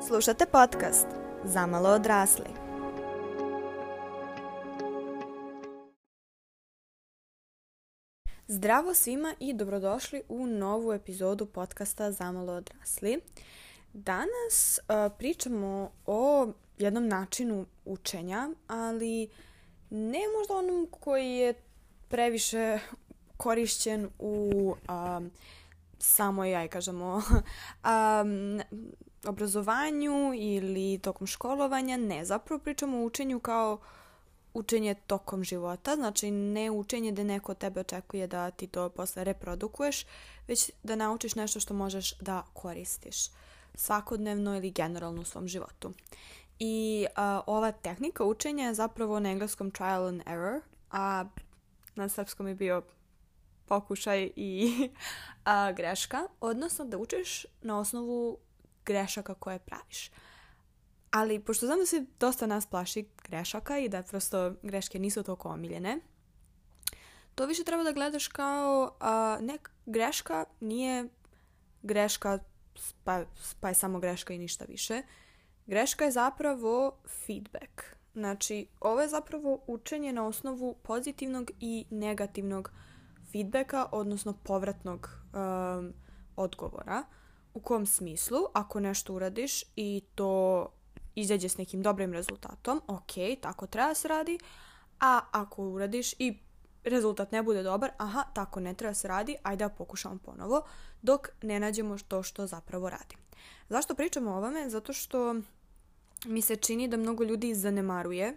Slušate podcast Zamalo odrasli. Zdravo svima i dobrodošli u novu epizodu podcasta Zamalo odrasli. Danas pričamo o jednom načinu učenja, ali ne možda onom koji je previše korišćen u samoj, obrazovanju ili tokom školovanja. Ne, zapravo pričamo o učenju kao učenje tokom života, znači ne učenje da neko od tebe očekuje da ti to posle reprodukuješ, već da naučiš nešto što možeš da koristiš svakodnevno ili generalno u svom životu. I ova tehnika učenja je zapravo na engleskom trial and error, a na srpskom je bio pokušaj i greška, odnosno da učiš na osnovu grešaka koje praviš. Ali pošto znam da se dosta nas plaši grešaka i da prosto greške nisu toliko omiljene, to više treba da gledaš kao greška nije greška pa je samo greška i ništa više. Greška je zapravo feedback. Znači, ovo je zapravo učenje na osnovu pozitivnog i negativnog feedbacka, odnosno povratnog odgovora. U kom smislu, ako nešto uradiš i to izađe s nekim dobrim rezultatom, ok, tako treba se radi, a ako uradiš i rezultat ne bude dobar, tako ne treba se radi, ajde da pokušamo ponovo, dok ne nađemo to što zapravo radi. Zašto pričamo o ovome? Zato što mi se čini da mnogo ljudi zanemaruje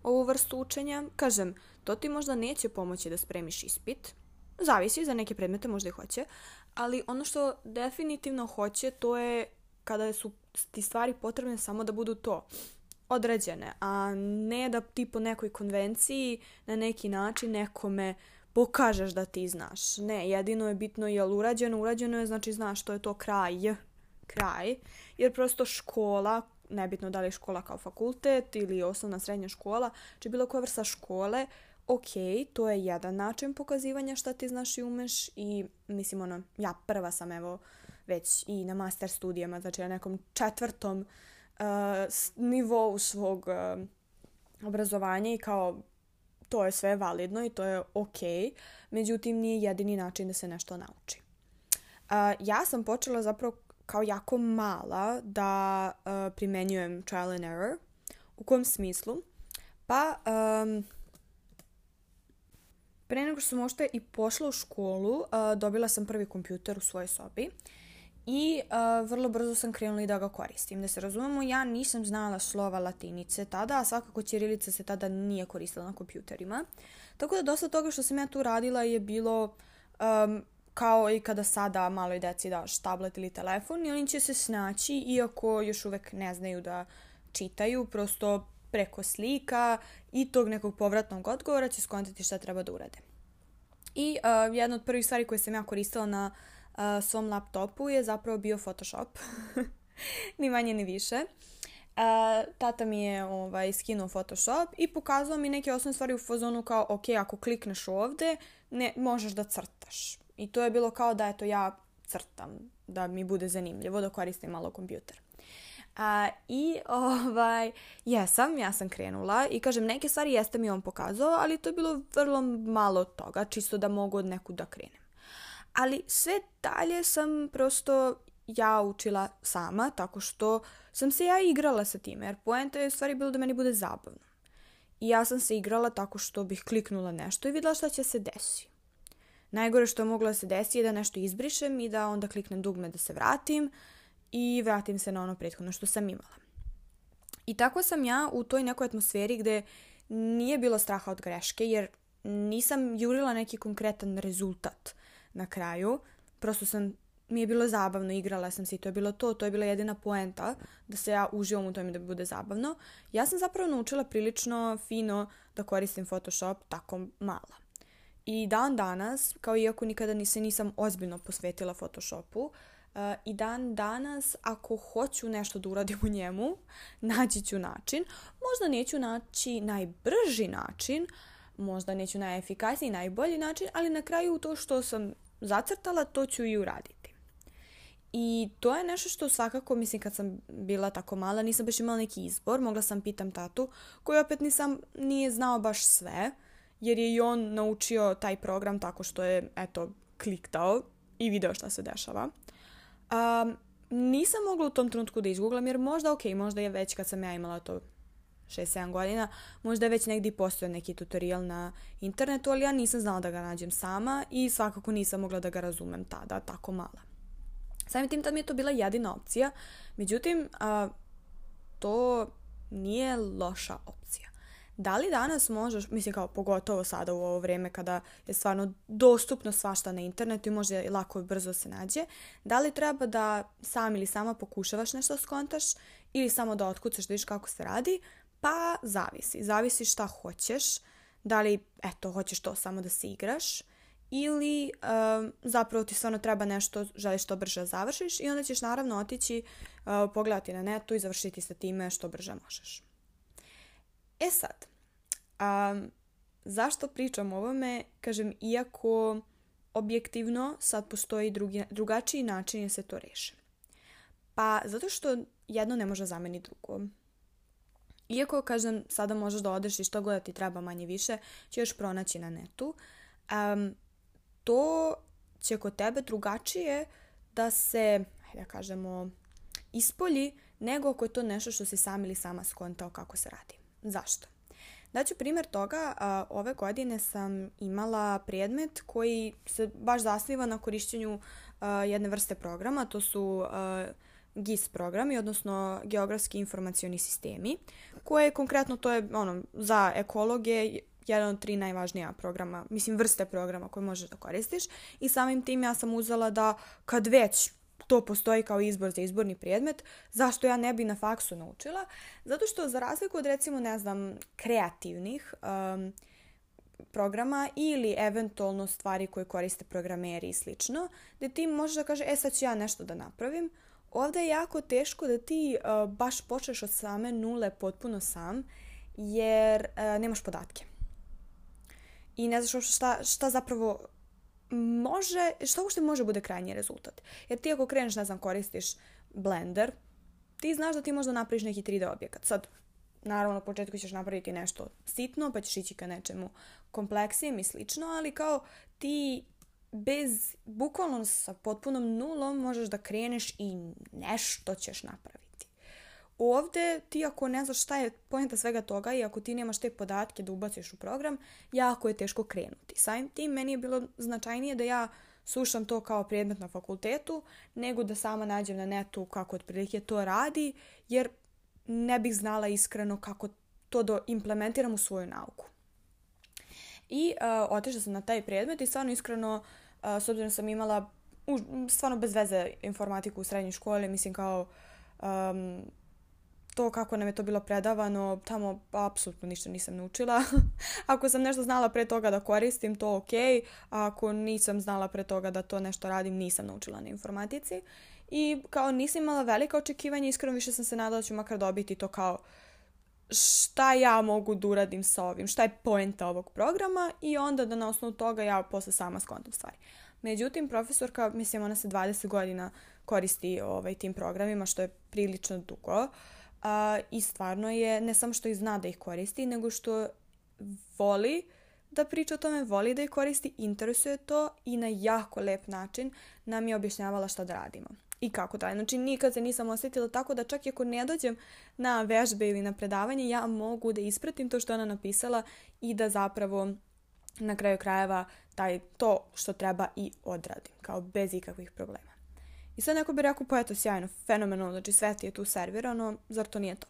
ovu vrstu učenja. Kažem, to ti možda neće pomoći da spremiš ispit, zavisi, za neke predmete možda i hoće, ali ono što definitivno hoće, to je kada su ti stvari potrebne samo da budu to odrađene, a ne da ti po nekoj konvenciji na neki način nekome pokažeš da ti znaš. Ne, jedino je bitno je li urađeno je, znači znaš što je to kraj, jer prosto škola, nebitno da li je škola kao fakultet ili osnovna srednja škola, či bilo koja vrsta škole, ok, to je jedan način pokazivanja šta ti znaš i umeš i mislim ja prva sam već i na master studijama, znači na nekom 4. nivou svog obrazovanja i kao to je sve validno i to je ok, međutim nije jedini način da se nešto nauči. Ja sam počela zapravo kao jako mala da primenjujem trial and error. U kom smislu? Pa pre nego što sam možda i pošla u školu, dobila sam prvi kompjuter u svojoj sobi i vrlo brzo sam krenula i da ga koristim. Da se razumemo, ja nisam znala slova latinice tada, a svakako ćirilica se tada nije koristila na kompjuterima. Tako da dosta toga što sam ja tu radila je bilo kao i kada sada maloj deci daš tablet ili telefon i oni će se snaći, iako još uvek ne znaju da čitaju, prosto preko slika i tog nekog povratnog odgovora će skontati šta treba da urade. I jedna od prvih stvari koje sam ja koristila na svom laptopu je zapravo bio Photoshop. Ni manje ni više. Tata mi je skinuo Photoshop i pokazao mi neke osnovne stvari u fazonu kao ok, ako klikneš ovde, možeš da crtaš. I to je bilo kao da ja crtam, da mi bude zanimljivo, da koristim malo kompjuter. Ja sam krenula i kažem, neke stvari jeste mi on pokazao, ali to je bilo vrlo malo toga, čisto da mogu od nekud da krenem. Ali sve dalje sam prosto ja učila sama, tako što sam se ja igrala sa time, jer poenta je u stvari bilo da meni bude zabavno. I ja sam se igrala tako što bih kliknula nešto i vidjela šta će se desi. Najgore što je moglo da se desi je da nešto izbrišem i da onda kliknem dugme da se vratim i vratim se na ono prethodno što sam imala. I tako sam ja u toj nekoj atmosferi gde nije bilo straha od greške, jer nisam jurila neki konkretan rezultat na kraju. Prosto mi je bilo zabavno, igrala sam se i to je bilo to je bila jedina poenta da se ja uživam u tome da mi bude zabavno. Ja sam zapravo naučila prilično fino da koristim Photoshop tako mala. I dan danas, kao iako nikada nisam ozbiljno posvetila Photoshopu, i dan danas ako hoću nešto da uradim u njemu, naći ću način. Možda neću naći najbrži način, možda neću najefikasniji, najbolji način, ali na kraju to što sam zacrtala, to ću i uraditi. I to je nešto što svakako, mislim, kad sam bila tako mala, nisam baš imala neki izbor. Mogla sam pitam tatu, koji opet nije znao baš sve, jer je i on naučio taj program tako što je, eto, kliktao i video šta se dešava. Nisam mogla u tom trenutku da izgooglam, jer možda je već kad sam ja imala to 6-7 godina, možda je već negdje postojao neki tutorial na internetu, ali ja nisam znala da ga nađem sama i svakako nisam mogla da ga razumem tada, tako mala. Samim tim tad mi je to bila jedina opcija, međutim, to nije loša opcija. Da li danas možeš, mislim kao pogotovo sada u ovo vrijeme kada je stvarno dostupno svašta na internetu i može lako i brzo se nađe, da li treba da sam ili sama pokušavaš nešto skontaš ili samo da otkucaš da vidiš kako se radi? Pa zavisi. Zavisi šta hoćeš. Da li, hoćeš to samo da se igraš ili zapravo ti stvarno treba nešto, želiš što brže završiš i onda ćeš naravno otići, pogledati na netu i završiti sa time što brže možeš. E sad, zašto pričam o ovome? Kažem, iako objektivno sad postoji drugačiji način da se to reši. Pa zato što jedno ne može zameniti drugo. Iako, kažem, sada možeš da odeš i što god ti treba manje više, ćeš pronaći na netu. To će kod tebe drugačije da se, da kažemo, ispolji nego ako je to nešto što si sam ili sama skontao kako se radi. Zašto? Daću primjer toga, ove godine sam imala predmet koji se baš zasniva na korišćenju jedne vrste programa, to su GIS programi, odnosno geografski informacioni sistemi, koje konkretno to je za ekologe jedan od 3 najvažnija programa, vrste programa koje možeš da koristiš i samim tim ja sam uzela da kad već to postoji kao izbor za izborni predmet, zašto ja ne bi na faksu naučila? Zato što za razliku od recimo, kreativnih programa ili eventualno stvari koje koriste programeri i slično, gdje ti možeš da kaže, sad ću ja nešto da napravim, ovdje je jako teško da ti baš počneš od same nule potpuno sam, jer nemaš podatke. I ne znaš šta zapravo šta uopšte može bude krajnji rezultat. Jer ti ako kreneš, koristiš Blender, ti znaš da ti možda napraviš neki 3D objekat. Sad, naravno, na početku ćeš napraviti nešto sitno, pa ćeš ići ka nečemu kompleksijem i slično, ali kao ti bukvalno sa potpunom nulom možeš da kreneš i nešto ćeš napraviti. Ovdje ti ako ne znaš šta je poenta svega toga i ako ti nemaš te podatke da ubaciš u program, jako je teško krenuti. Samim tim meni je bilo značajnije da ja slušam to kao predmet na fakultetu, nego da sama nađem na netu kako otprilike to radi, jer ne bih znala iskreno kako to da implementiram u svoju nauku. I otišla sam na taj predmet i stvarno iskreno, s obzirom sam imala stvarno bez veze informatiku u srednjoj školi, kao to kako nam je to bilo predavano, tamo apsolutno ništa nisam naučila. Ako sam nešto znala pre toga da koristim, to ok. A ako nisam znala pre toga da to nešto radim, nisam naučila na informatici. I kao nisam imala velika očekivanja, iskreno više sam se nadala da ću makar dobiti to kao šta ja mogu da uradim sa ovim, šta je poenta ovog programa i onda da na osnovu toga ja posle sama skontam stvari. Međutim, profesorka, ona se 20 godina koristi tim programima, što je prilično dugo. I stvarno je, ne samo što ih zna da ih koristi, nego što voli da priča o tome, voli da ih koristi, interesuje to i na jako lep način nam je objašnjavala šta da radimo i kako da. Znači, nikad se nisam osjetila tako da čak i ako ne dođem na vežbe ili na predavanje, ja mogu da ispratim to što ona napisala i da zapravo na kraju krajeva to što treba i odradim, kao bez ikakvih problema. I sad neko bi rekao, pa eto, sjajno, fenomenalno, znači sve ti je tu servirano, zar to nije top?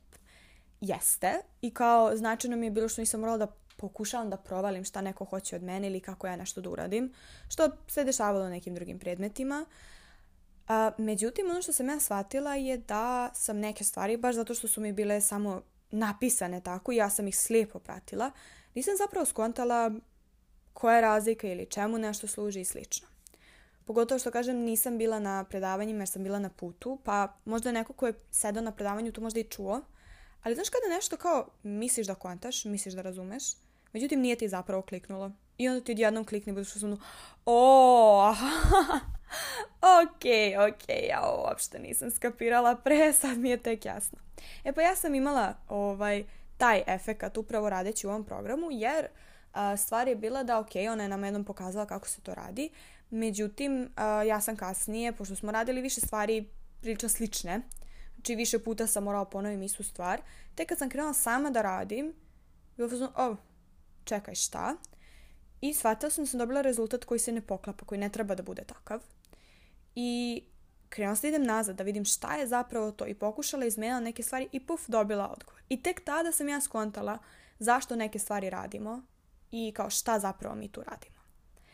Jeste, i kao značajno mi je bilo što nisam morala da pokušavam da provalim šta neko hoće od mene ili kako ja nešto da uradim, što se dešavalo nekim drugim predmetima. Međutim, ono što sam ja shvatila je da sam neke stvari, baš zato što su mi bile samo napisane tako i ja sam ih slijepo pratila, nisam zapravo skontala koja je razlika ili čemu nešto služi i slično. Pogotovo što kažem, nisam bila na predavanjima jer sam bila na putu, pa možda neko ko je sedao na predavanju to možda i čuo, ali znaš kada nešto kao misliš da kontaš, misliš da razumeš, međutim nije ti zapravo kliknulo i onda ti odjednom klikne i budeš u o, ok, ja uopšte nisam skapirala pre, sad mi je tek jasno. Pa ja sam imala taj efekat upravo radeći u ovom programu, jer stvar je bila da ona je nam jednom pokazala kako se to radi, međutim ja sam kasnije, pošto smo radili više stvari prilično slične, znači više puta sam morala ponovim istu stvar, tek kad sam krenula sama da radim, bilo sam čekaj šta, i shvatila sam da sam dobila rezultat koji se ne poklapa, koji ne treba da bude takav. I krenula sam da idem nazad, da vidim šta je zapravo to, i pokušala izmenila neke stvari i dobila odgovor. I tek tada sam ja skontala zašto neke stvari radimo i kao šta zapravo mi tu radimo.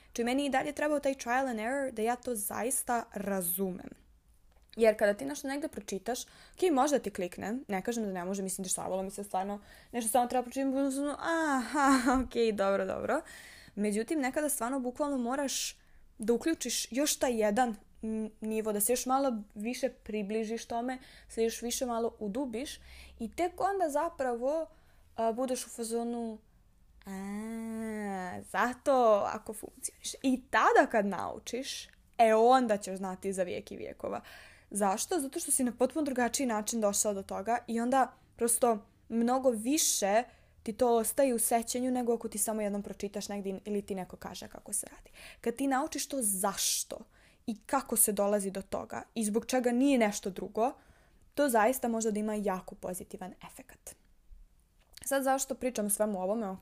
Znači meni i dalje trebao taj trial and error da ja to zaista razumem. Jer kada ti nešto negde pročitaš, možda ti klikne, ne kažem da ne može, mislim dešavalo mi se stvarno, nešto samo treba pročitati, dobro. Međutim, nekada stvarno bukvalno moraš da uključiš još taj jedan nivo, da se još malo više približiš tome, se još više malo udubiš i tek onda zapravo budeš u fazonu zato ako funkcioniš. I tada kad naučiš, onda ćeš znati za vijek i vijekova. Zašto? Zato što si na potpuno drugačiji način došao do toga i onda prosto mnogo više ti to ostaje u sećanju nego ako ti samo jednom pročitaš negdje ili ti neko kaže kako se radi. Kad ti naučiš to zašto i kako se dolazi do toga i zbog čega nije nešto drugo, to zaista može da ima jako pozitivan efekat. Sad zašto pričam svemu ovome,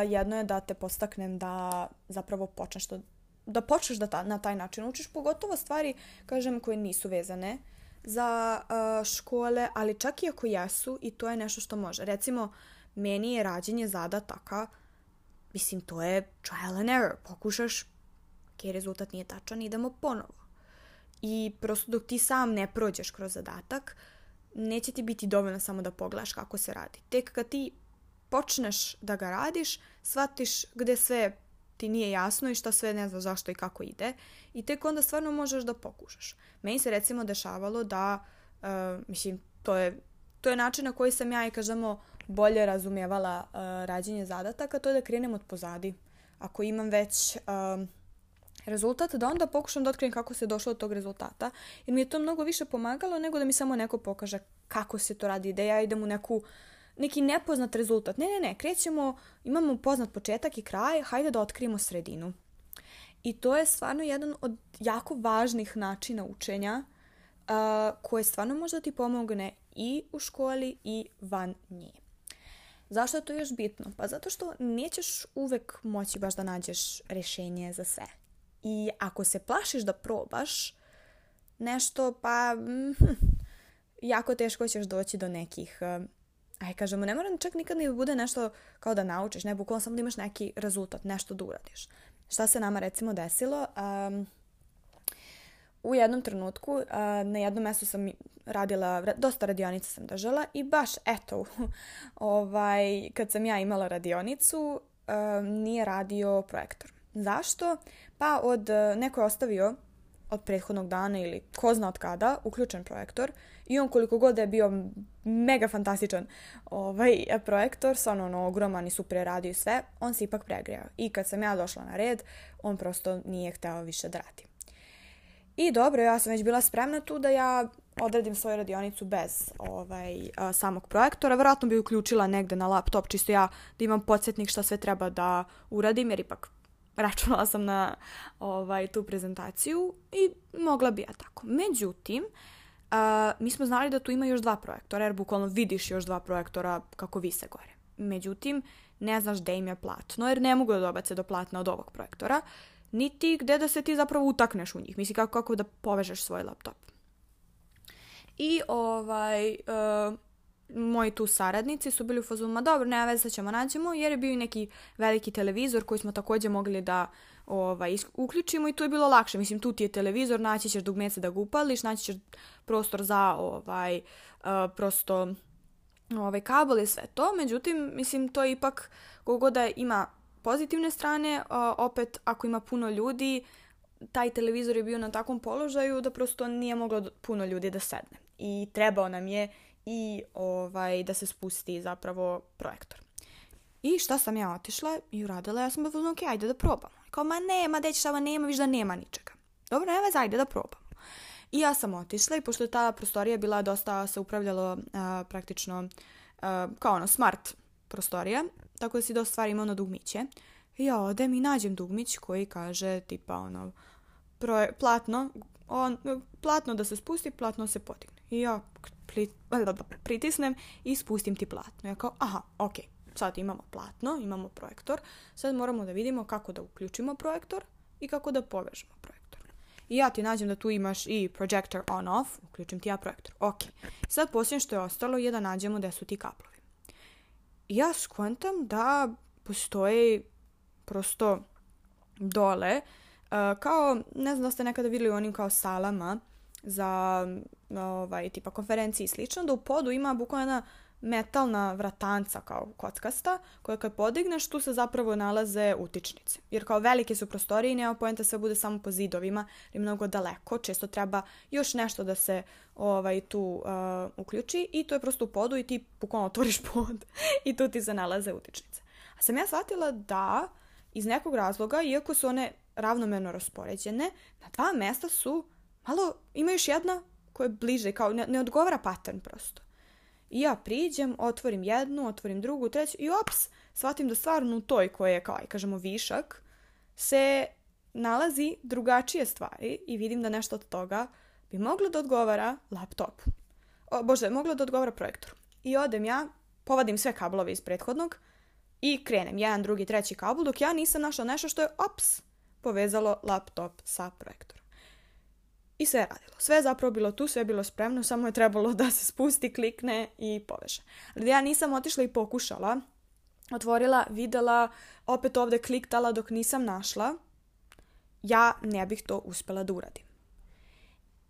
jedno je da te podstaknem da zapravo počneš da na taj način učiš, pogotovo stvari, kažem, koje nisu vezane za škole, ali čak i ako jesu, i to je nešto što može. Recimo, meni je rađenje zadataka, mislim, to je trial and error. Pokušaš, rezultat nije tačan, idemo ponovo. I prosto dok ti sam ne prođeš kroz zadatak, neće ti biti dovoljno samo da pogledaš kako se radi. Tek kad ti počneš da ga radiš, shvatiš gde sve ti nije jasno i šta sve ne znaš zašto i kako ide, i tek onda stvarno možeš da pokušaš. Meni se recimo dešavalo da, to je način na koji sam ja i kažemo bolje razumijevala rađenje zadataka, to je da krenem od pozadi. Ako imam već rezultat, da onda pokušam da otkrijem kako se došlo do tog rezultata, jer mi je to mnogo više pomagalo nego da mi samo neko pokaže kako se to radi, da ja idem u neki nepoznat rezultat. Ne, krećemo, imamo poznat početak i kraj, hajde da otkrijemo sredinu. I to je stvarno jedan od jako važnih načina učenja koje stvarno može da ti pomogne i u školi i van nje. Zašto je to još bitno? Pa zato što nećeš uvek moći baš da nađeš rješenje za sve. I ako se plašiš da probaš nešto, pa jako teško ćeš doći do nekih, kažemo, ne mora čak nikad ni da bude nešto kao da naučiš, ne, bukvalno samo da imaš neki rezultat, nešto da uradiš. Šta se nama recimo desilo? U jednom trenutku na jednom mjestu sam radila, dosta radionica sam držala i baš kad sam ja imala radionicu nije radio projektor. Zašto? Pa neko je ostavio od prethodnog dana ili ko zna od kada uključen projektor i on koliko god je bio mega fantastičan projektor, stvarno ogroman i super radio i sve, on se ipak pregrejao. I kad sam ja došla na red, on prosto nije hteo više da radi. I dobro, ja sam već bila spremna tu da ja odradim svoju radionicu bez samog projektora. Vjerojatno bi uključila negde na laptop, čisto ja da imam podsjetnik šta sve treba da uradim, jer ipak računala sam na tu prezentaciju i mogla bi ja tako. Međutim, mi smo znali da tu ima još 2 projektora, jer bukvalno vidiš još 2 projektora kako vise gore. Međutim, ne znaš gde im je platno, jer ne mogu da dobace do platna od ovog projektora, niti gde da se ti zapravo utakneš u njih. Misli kako da povežeš svoj laptop. I moji tu saradnici su bili u fazonu, ma dobro, nema veze, sad ćemo nađemo, jer je bio i neki veliki televizor koji smo također mogli da uključimo i tu je bilo lakše. Mislim, tu ti je televizor, naći ćeš dugmece da ga upališ, naći ćeš prostor za kabel i sve to. Međutim, mislim, to je ipak, koliko da ima pozitivne strane, opet ako ima puno ljudi, taj televizor je bio na takvom položaju da prosto nije moglo puno ljudi da sedne. I trebao nam je i da se spusti zapravo projektor. I šta sam ja otišla i uradila, ja sam bila, ok, ajde da probamo. Kao, ma nema, dečava, nema, viš da nema ničega. Dobro, nema veze, ajde da probamo. I ja sam otišla i pošto je ta prostorija bila dosta, se upravljalo praktično kao ono smart prostorija, tako da si dosta stvari imao na dugmiće. I ja odem i nađem dugmić koji kaže tipa ono, platno da se spusti, platno se podigne. I ja pritisnem i spustim ti platno. Ja kao, aha, ok, sad imamo platno, imamo projektor, sad moramo da vidimo kako da uključimo projektor i kako da povežemo projektor. I ja ti nađem da tu imaš i projector on-off, uključim ti ja projektor. Ok, sad posljednje što je ostalo je da nađemo gde su ti kablovi. I ja skontam da postoji prosto dole, kao, ne znam da ste nekada vidjeli u onim kao salama za tipa konferenciji i slično, da u podu ima bukvalno jedna metalna vratanca kao kockasta, koja kad podigneš tu se zapravo nalaze utičnice. Jer kao velike su prostorije i nema poenta sve bude samo po zidovima, jer je mnogo daleko, često treba još nešto da se tu uključi i to je prosto u podu i ti bukvalno otvoriš pod i tu ti se nalaze utičnice. A sam ja shvatila da iz nekog razloga, iako su one ravnomerno raspoređene, na dva mesta su malo, ima još jedna koja je bliže, kao ne odgovara pattern prosto. I ja priđem, otvorim jednu, otvorim drugu, treću i ops, shvatim da stvarno u toj koja je, kao kažemo, višak, se nalazi drugačije stvari i vidim da nešto od toga bi moglo da odgovara laptopu. Moglo da odgovara projektoru. I odem ja, povadim sve kablove iz prethodnog i krenem jedan, drugi, treći kabel, dok ja nisam našla nešto što je, ops, povezalo laptop sa projektorom. I sve je radilo. Sve je zapravo bilo tu, sve je bilo spremno, samo je trebalo da se spusti, klikne i poveže. Ali ja nisam otišla i pokušala, otvorila, videla, opet ovde kliktala dok nisam našla, ja ne bih to uspela da uradim.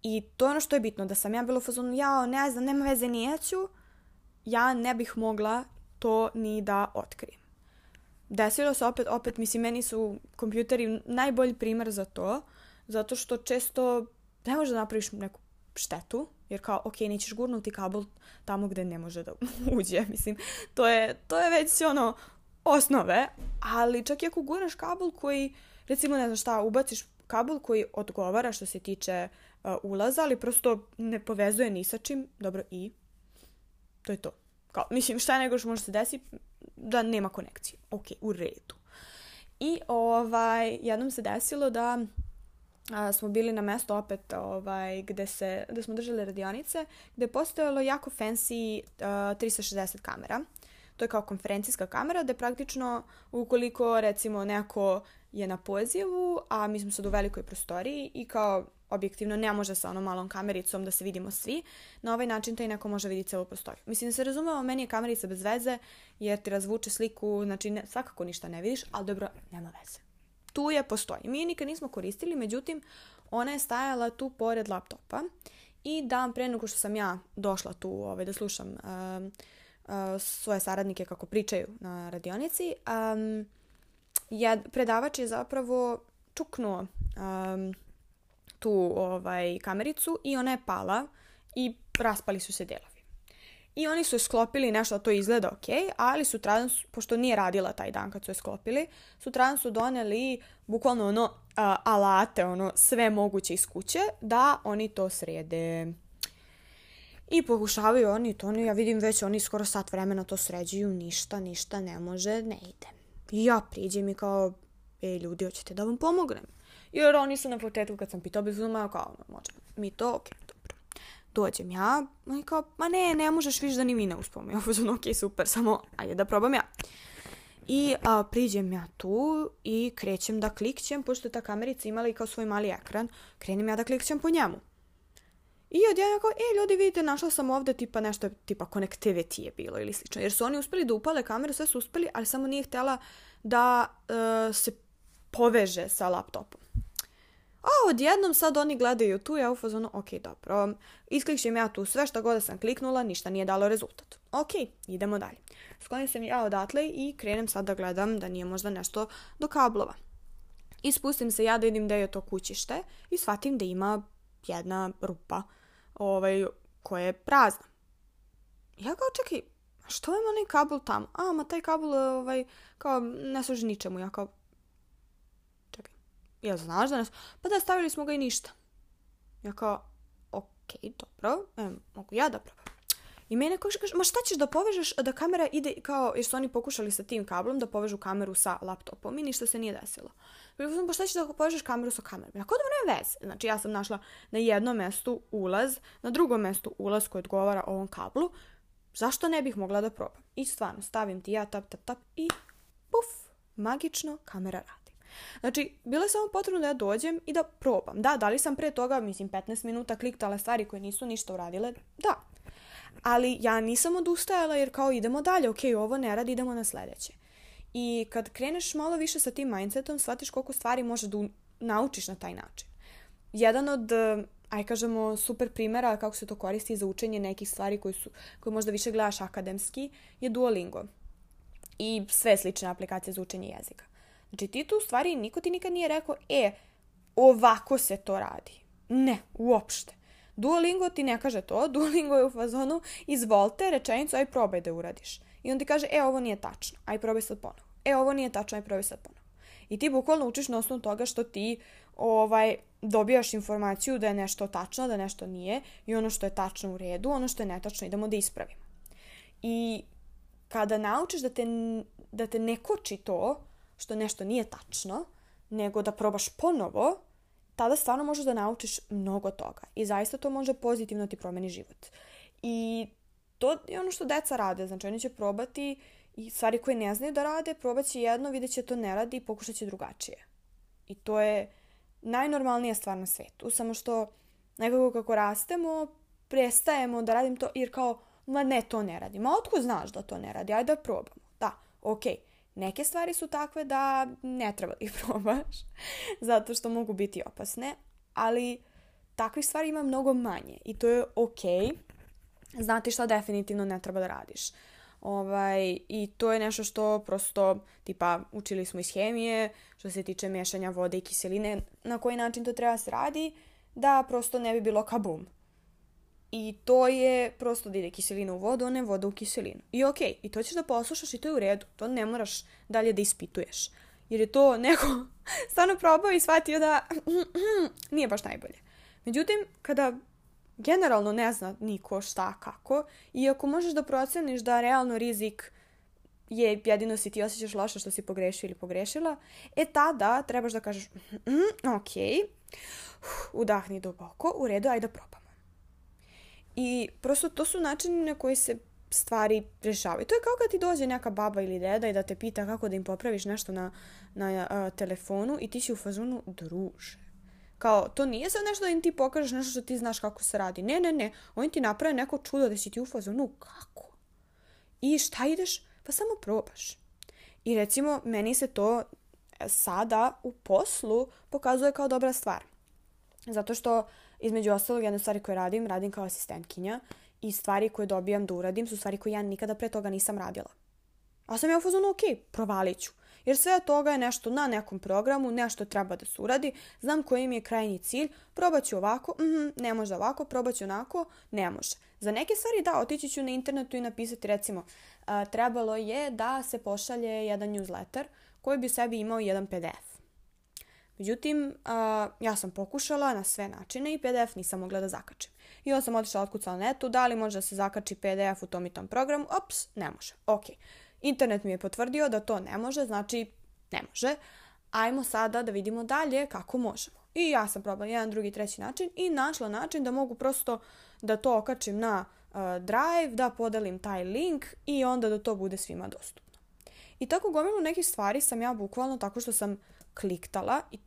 I to je ono što je bitno, da sam ja bila u fazonu, ne znam, nema veze, nijeću, ja ne bih mogla to ni da otkrijem. Desilo se opet, mislim, meni su kompjuteri najbolji primjer za to, zato što često ne možeš da napraviš neku štetu, jer kao, ok, nećeš gurnuti kabel tamo gde ne može da uđe, mislim, to je već ono osnove, ali čak i ako gurneš kabel koji, recimo, ne znam šta, ubaciš kabel koji odgovara što se tiče ulaza, ali prosto ne povezuje ni sa čim, dobro, i to je to. Kao, mislim, šta nego što može se desiti da nema konekcije. Ok, u redu. I jednom se desilo da smo bili na mesto opet gde smo držali radionice, gde je postojalo jako fancy 360 kamera. To je kao konferencijska kamera, gde praktično ukoliko recimo neko je na pozivu, a mi smo sad u velikoj prostoriji i kao objektivno ne može sa onom malom kamericom da se vidimo svi, na ovaj način taj neko može vidjeti celu prostoriju. Mislim da se razumemo, meni je kamerica bez veze jer ti razvuče sliku, znači svakako ništa ne vidiš, ali dobro, nema veze. Tu je, postoji. Mi je nikad nismo koristili, međutim, ona je stajala tu pored laptopa i dan pre nego što sam ja došla tu da slušam svoje saradnike kako pričaju na radionici, predavač je zapravo čuknuo tu kamericu i ona je pala i raspali su se delovi. I oni su sklopili nešto, to izgleda ok, ali sutradan, pošto nije radila taj dan kad su je sklopili, sutradan su doneli bukvalno alate, sve moguće iz kuće, da oni to srede. I pokušavaju oni to, ja vidim već oni skoro sat vremena to sređuju, ništa ne može, ne ide. I ja priđem i kao, ljudi, hoćete da vam pomognem? Jer oni su na početku kad sam pitao, kao, možemo mi to, ok, dobro. Dođem ja, i kao, ne možeš više da ni mi ne uspome. Ja sam, ok, super, samo, ajde da probam ja. I priđem ja tu i krećem da klikćem, pošto je ta kamerica imala i kao svoj mali ekran, krenem ja da klikćem po njemu. I odjednom kao, ljudi, vidite, našla sam ovde nešto, tipa connectivity je bilo ili slično. Jer su oni uspeli da upale kameru, sve su uspeli, ali samo nije htjela da se poveže sa laptopom. A odjednom sad oni gledaju tu, ja u fazonu, ok, dobro, isklikćem ja tu sve što god da sam kliknula, ništa nije dalo rezultat. Ok, idemo dalje. Sklonim se ja odatle i krenem sad da gledam da nije možda nešto do kablova. I spustim se ja da vidim da je to kućište i shvatim da ima jedna rupa koja je prazna. Ja kao, čekaj, što vam onaj kabel tamo? Ma taj kabel, kao, ne služi ničemu. Ja kao, čekaj, ja znaš da nas... Pa da, stavili smo ga i ništa. Ja kao, okej, dobro, mogu ja da probam. I mene kaže, ma šta ćeš da povežeš da kamera ide kao, jer su oni pokušali sa tim kablom da povežu kameru sa laptopom i ništa se nije desilo. Pa šta ćeš da povežeš kameru sa kamerom? Ja kao da nema veze. Znači ja sam našla na jednom mestu ulaz, na drugom mestu ulaz koji odgovara ovom kablu. Zašto ne bih mogla da probam? I stvarno, stavim ti ja, tap i puf, magično kamera radi. Znači, bilo je samo potrebno da ja dođem i da probam. Da li sam pre toga, 15 minuta kliktala stvari koje nisu ništa uradile? Da. Ali ja nisam odustajala jer kao idemo dalje, ovo ne radi, idemo na sledeće. I kad kreneš malo više sa tim mindsetom, shvatiš koliko stvari možeš da naučiš na taj način. Jedan od, kažemo, super primjera kako se to koristi za učenje nekih stvari koje možda više gledaš akademski je Duolingo. I sve slične aplikacije za učenje jezika. Znači ti tu stvari, niko ti nikad nije rekao, ovako se to radi. Ne, uopšte. Duolingo ti ne kaže to, Duolingo je u fazonu, izvolite rečenicu, aj probaj da uradiš. I on ti kaže, ovo nije tačno, aj probaj sad ponovo. Ovo nije tačno, aj probaj sad ponovo. I ti bukvalno učiš na osnovu toga što ti dobijaš informaciju da je nešto tačno, da nešto nije i ono što je tačno u redu, ono što je netačno idemo da ispravimo. I kada naučiš da te ne koči to što nešto nije tačno, nego da probaš ponovo, tada stvarno možeš da naučiš mnogo toga. I zaista to može pozitivno ti promeni život. I to je ono što deca rade. Znači oni će probati i stvari koje ne znaju da rade, probat će jedno, vidjet će to ne radi i pokušat će drugačije. I to je najnormalnija stvar na svetu. Samo što nekako kako rastemo, prestajemo da radim to jer kao, ne, to ne radi. Otko znaš da to ne radi? Ajde da probamo. Da, okej. Neke stvari su takve da ne treba da ih probaš, zato što mogu biti opasne, ali takvih stvari ima mnogo manje i to je okej. Znati šta definitivno ne treba da radiš. I to je nešto što prosto, učili smo iz hemije, što se tiče miješanja vode i kiseline, na koji način to treba se radi, da prosto ne bi bilo kabum. I to je prosto da ide kiselina u vodu, a ne voda u kiselinu. I okej, i to ćeš da poslušaš i to je u redu. To ne moraš dalje da ispituješ. Jer je to neko stvarno probao i shvatio da nije baš najbolje. Međutim, kada generalno ne zna niko šta, kako, i ako možeš da proceniš da realno rizik je jedino si ti osjećaš loše što si pogrešio ili pogrešila, tada trebaš da kažeš okej, udahni duboko, u redu, ajde da probamo. I prosto to su načini na koji se stvari rešavaju. To je kao kad ti dođe neka baba ili deda i da te pita kako da im popraviš nešto na telefonu i ti si u fazonu, druže. Kao, to nije sad nešto da im ti pokažeš nešto što ti znaš kako se radi. Ne. Oni ti naprave neko čudo da si ti u fazonu, kako? I šta ideš? Pa samo probaš. I recimo, meni se to sada u poslu pokazuje kao dobra stvar. Zato što, između ostalog, jedne stvari koje radim kao asistentkinja i stvari koje dobijam da uradim su stvari koje ja nikada pre toga nisam radila. A sam ja u fazonu, provalit ću. Jer sve od toga je nešto na nekom programu, nešto treba da se uradi, znam koji mi je krajnji cilj, probat ću ovako, ne može ovako, probat ću onako, ne može. Za neke stvari da, otići ću na internetu i napisati, recimo, trebalo je da se pošalje jedan newsletter koji bi u sebi imao jedan PDF. Međutim, ja sam pokušala na sve načine i PDF nisam mogla da zakačim. I onda sam otišla otkucala na netu, da li može da se zakači PDF u tom i tom programu? Ops, ne može. Okej. Internet mi je potvrdio da to ne može, znači ne može. Ajmo sada da vidimo dalje kako možemo. I ja sam probala jedan, drugi, treći način i našla način da mogu prosto da to okačim na Drive, da podelim taj link i onda da to bude svima dostupno. I tako gomilu nekih stvari sam ja bukvalno tako što sam kliktala i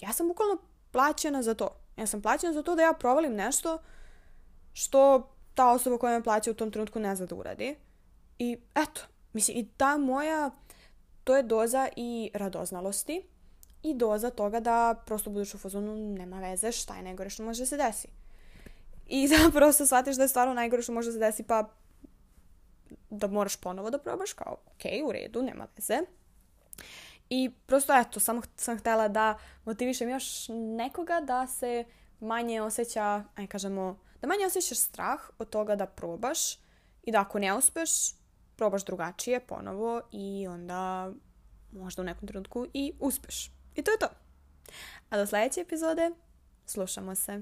ja sam bukvalno plaćena za to. Ja sam plaćena za to da ja provalim nešto što ta osoba koja me plaća u tom trenutku ne zna da uradi. I eto, mislim, i ta moja, to je doza i radoznalosti i doza toga da prosto budeš u fazonu, nema veze, šta je najgore što može da se desi. I da prosto shvatiš da je stvarno najgore što može da se desi, pa da moraš ponovo da probaš, kao, u redu, nema veze. I prosto, eto, samo sam htjela da motivišem još nekoga da se manje osjeća, da manje osjećaš strah od toga da probaš i da ako ne uspeš, probaš drugačije ponovo i onda možda u nekom trenutku i uspeš. I to je to. A do sljedeće epizode slušamo se.